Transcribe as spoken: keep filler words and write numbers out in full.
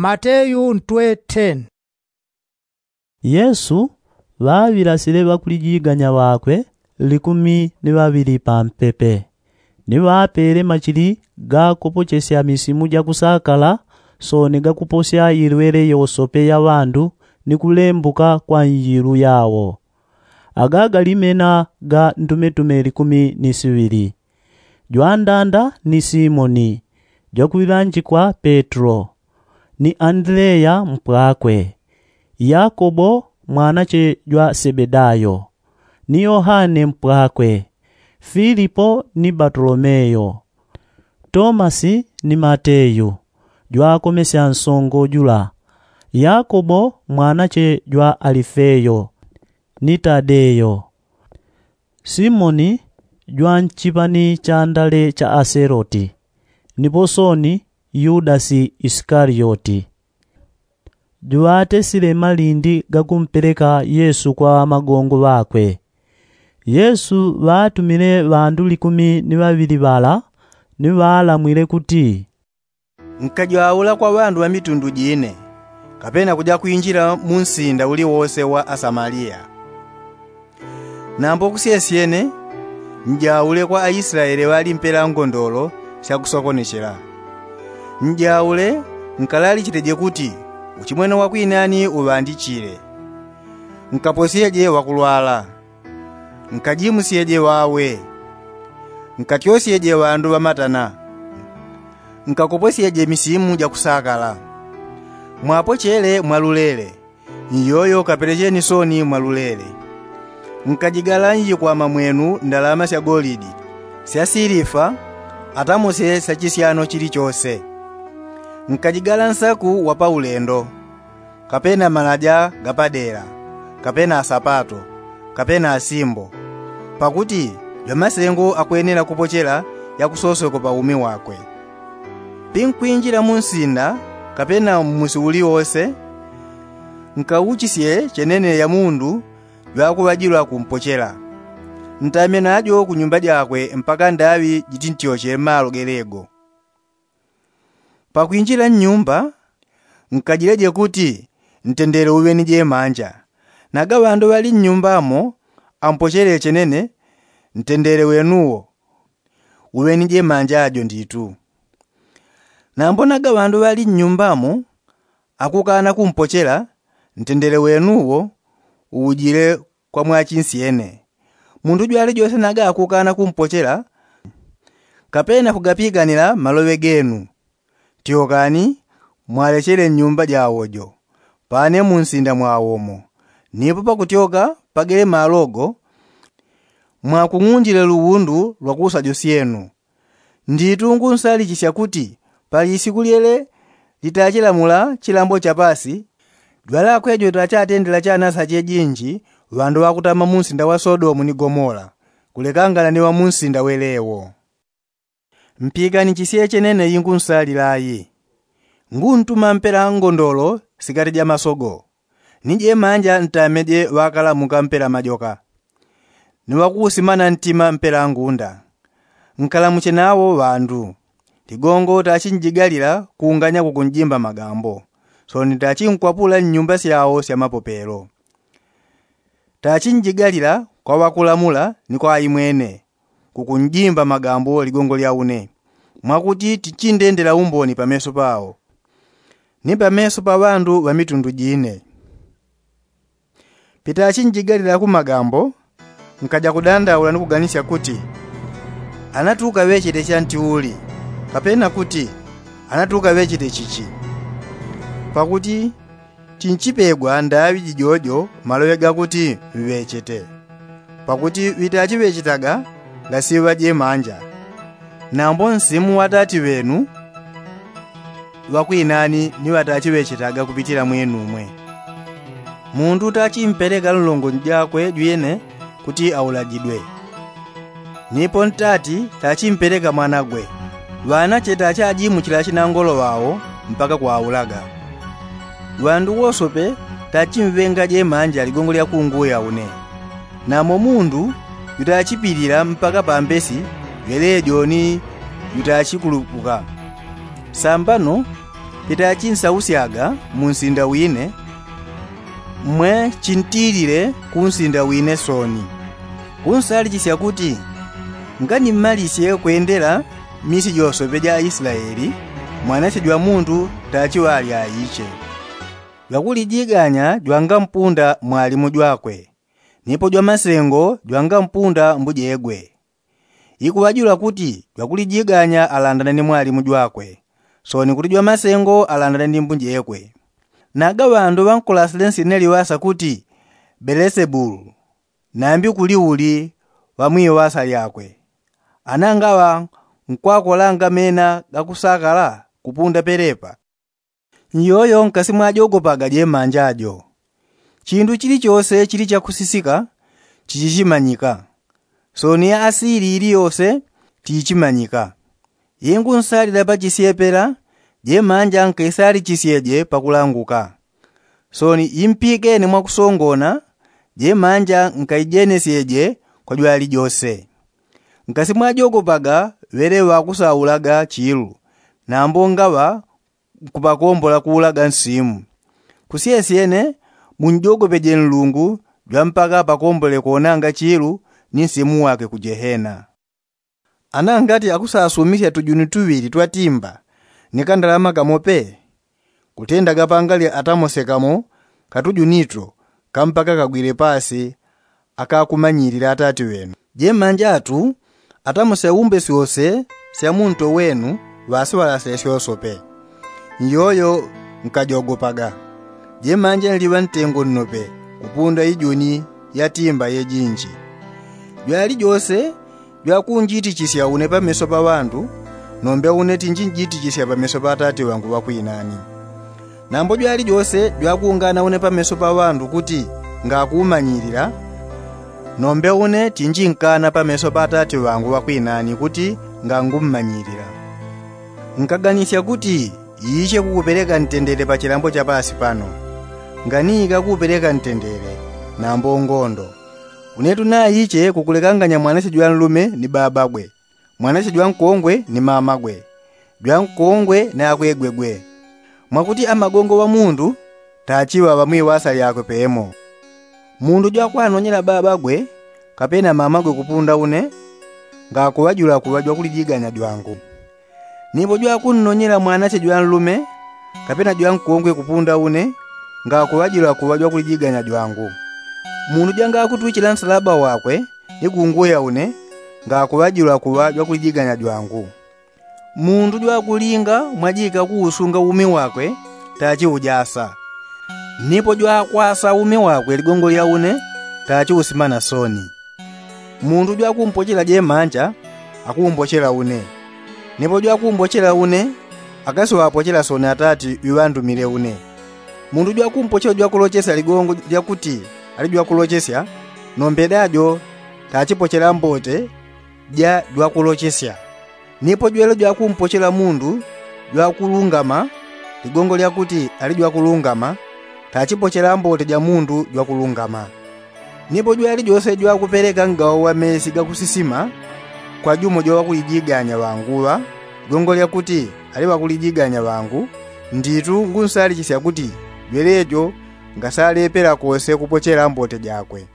Mateyu ntwe ten. Yesu ŵaŵilasile ŵakulijiganya ŵakwe likumi ni ŵaŵili pampepe, ni ŵapele machili ga kupochesya misimu ja kusakala, soni ga kuposya ilwele yosope ya ŵandu ni kulembuka kwa njilu yawo. Aga galimena ga ndumetume likumi ni siŵili, jwandanda ni simoni jwakuŵanjikwa petro, ni andileya mpwakwe, yakobo mwanache jwa sebedayo, ni yohane mpwakwe, filipo ni batolomeyo, tomasi ni mateyu jwakomesya nsongo jula, yakobo mwanache jwa alifeyo, ni tadeyo, simoni jwa nchipani cha ndale cha aseloti, nipo soni yudasi isikalioti. Juŵatesile malindi gakumpeleka yesu kwa ŵamagongo ŵakwe. Yesu ŵatumile ŵandu likumi ni ŵaŵili ŵala, ni ŵalamwile kuti, nkajwaula kwa ŵandu ŵa mitundu jine, kapena kuja kwinjila mu nsinda uliwose wa asamaliya. Nambo kusyesyene, njaule kwa aislaele ŵali mpela ngondolo sya kusokonechela. Njaule, nkalalichiteje kuti uchimwene wa kwinani uŵandichile. Nkaposyeje ŵakulwala, nkajimusyeje ŵawe, nkatyosyeje ŵandu ŵamatana, nkakoposyeje misimu ja kusakala. Mwapochele mwalulele, nyoyo kapelecheni soni mwalulele. Nkajigala njikwama mwenu ndalama sya golidi, sya silifa, atamose sya chisyano chilichose. Nkajigala nsaku wa paulendo, kapena malaja ga padela, kapena asapato, kapena asimbo, pakuti jwamasengo akwenela kupochela yakusosweko pa umi wakwe. Pinkwinjila mu nsinda, kapena mmusi uliwose, nkauchisye chenene ya mundu jwakuŵajilwa kumpochela. Ntame najo ku nyumba jakwe mpaka ndaŵi jitintyoche malo gelego. Pakwinjila nnyumba, nkajileje kuti ntendele uŵe ni jemanja. Naga ŵandu ŵali nnyumbamo ampochele chenene, ntendele wenuwo uŵe ni jemanja jo nditu. Nambo naga ŵandu ŵali nnyumbamo akukana kumpochela, ntendele wenuwo uujile kwa mwachinsyene. Mundu jwalijose naga akukana kumpochela, kapena kugapiganila maloŵe genu, tyokani, mwalechele nnyumba jawo jo, pane mu nsinda mwawomo. Nipo pakutyoka pagele malo go, mwakung'undile luwundu lwa kusa josyenu. Nditu ngunsalichisya kuti pali isiku lyele litachilamula chilambo cha pasi, jwalakwe jo tachatendela chanasa chejinji ŵandu ŵakutama mu nsinda wa sodomu ni gomora, kulekangana ni ŵa mu nsinda welewo. Mpikani chisye chenene ingunsalila ayi. Nguntuma mpela ngondolo sikati ja masogo, ni jemanja ntame je ŵakalamuka mpela majoka, ni ŵakuusimana ntima mpela ngunda. Nkalamuche nawo ŵandu. Ligongo tachinjigalila kuunganya kukunjimba magambo, soni tachinkwapula nnyumba syawo sya mapopelo. Tachinjigalila kwa ŵakulamula ni kwa aimwene, kukunjimba magambo ligongo lya une, mwakuti tichindendela umboni pameso pawo, ni pameso pa ŵandu ŵa mitundu jine. Pitachinjigalila ku magambo, nkaja kudandaula ni kuganisya kuti, anatuka ŵechete chanti uli, kapena kuti, anatuka ŵechete chichi? Pakuti tinchipegwa ndaŵi jijojo maloŵe gakuti ŵechete. Pakuti ŵitachiŵechetaga ngasiŵa jemanja, nambo nsimu wa tati ŵenu ŵakwinani ni ŵatachiŵechetaga kupitila mwenumwe. Mundu tachimpeleka nlongo njakwe jwine kuti aulagidwe, nipo ntati tachimpeleka mwanagwe. Ŵanache tachajimuchila chinangolo ŵawo mpaka kwaulaga. Ŵandu wosope tachimŵenga jemanja ligongo lya kunguya une. Namo mundu jutachipilila mpaka pambesi jwelejo ni jutachikulupuka. Sambano Chitachi nsausyaga mu nsinda wine, mwe chintilile ku nsinda wine soni. Kunsalichisya kuti, nganimmalisye kwendela misi josope ja aislaeli, mwanasye jwa mundu tachiŵalya aiche. Jwakulijiganya jwangampunda mwalimu jwakwe, nipo jwamasengo jwangampunda mbujegwe. Ikuŵajula kuti jwakulijiganya alandane ni mwalimu jwakwe, soni kuti jwamasengo alandane ni mbujegwe. Naga ŵandu ŵankulasile nsine liŵasa kuti belesebulu, nambi kuli uli ŵamwiŵasa lyakwe. Ana ngaŵa nkwakolanga mena gakusakala kupunda pelepa. Nyoyo nkasi mwajogopaga jemanja jo. Chindu chilichose chili chakusisika chichichimanyika, soni ya asili iliyose tiichimanyika. Ingunsalila pachisyepela, jemanja nkaisalichisyeje pakulanguka. Soni impikene mwakusongona, jemanja nkaijenesyeje kwa jwalijose. Nkasi mwajogopaga ŵele ŵakusaulaga chilu, nambo ngaŵa nkupakombola kuulaga nsimu. Kusyesyene munjogopeje nlungu jwampaka apakombole konanga chilu ni nsimu wake ku jehena. Ana ngati akusasumisya tujuni tuŵili twa timba ni kandalama kamo pe, kutenda gapangali atamose kamo katujunito kampaka kagwile pasi akakumanyilila atati ŵenu. Jemanjatu atamose umbe syose sya munto wenu ŵasiŵalasile syosope. Nyoyo nkajogopaga. Jemanja nliŵa ntengo nnope kupunda ijuni ya timba yejinji. Jwalijose jwakunjitichisya une pameso pa ŵandu, nombe une tinjinjitichisya pameso pa atati ŵangu ŵakwinani. Nambo jwalijose jwakungana une pameso pa ŵandu kuti ngakumanyilila, nombe une tinjinkana pameso pa atati ŵangu ŵakwinani kuti ngangummanyilila. Nkaganisya kuti iiche kukupeleka ntendele pa chilambo cha pasi pano. Nganiika kukupeleka ntendele, nambo ngondo. Unetu naiche kukulekanganya mwanache jwanlume ni babagwe, mwanache jwankongwe ni mamagwe, jwankongwe ni akwegwegwe. Mwakuti amagongo ŵa mundu tachiŵa ŵamwiŵasa lyakwe pemo. Mundu jwakwanonyela babagwe kapena mamagwe kupunda une, ngakuŵajula kuŵa jwakulijiganya jwangu. Nipo jwakunnonyela mwanache jwanlume kapena jwankongwe kupunda une, ngakuŵajula kuŵa jwakulijiganya jwangu. Mundu jwangakutwichila nsalaba wakwe ni kunguya une, ngakuŵajula kuŵa jwakulijiganya jwangu. Mundu jwakulinga mwajika kuusunga umi wakwe tachiujasa. Nipo jwakwasa umi wakwe ligongo lya une tachiusimana soni. Mundu jwakumpochela jemanja akumbochela une, nipo jwakumbochela une akasiŵapochela soni atati wiŵandumile une. Mundu jwakumpochela jwakulochesya ligongo lyakuti ali jwakulochesya, nombe dajo tachipochela mbote ja jwakulochesya. Nipo jwele jwakumpochela mundu jwakulungama ligongo lyakuti ali jwakulungama, tachipochela mbote ja mundu jwakulungama. Nipo jwalijose jwakupeleka ngawo wa mesi gakusisima kwa jumo jwaŵakulijiganya ŵanguŵa ligongo lyakuti ali ŵakulijiganya ŵangu, nditu ngunsalichisya kuti jwelejo ngasalepela kose kupochela mbote jakwe.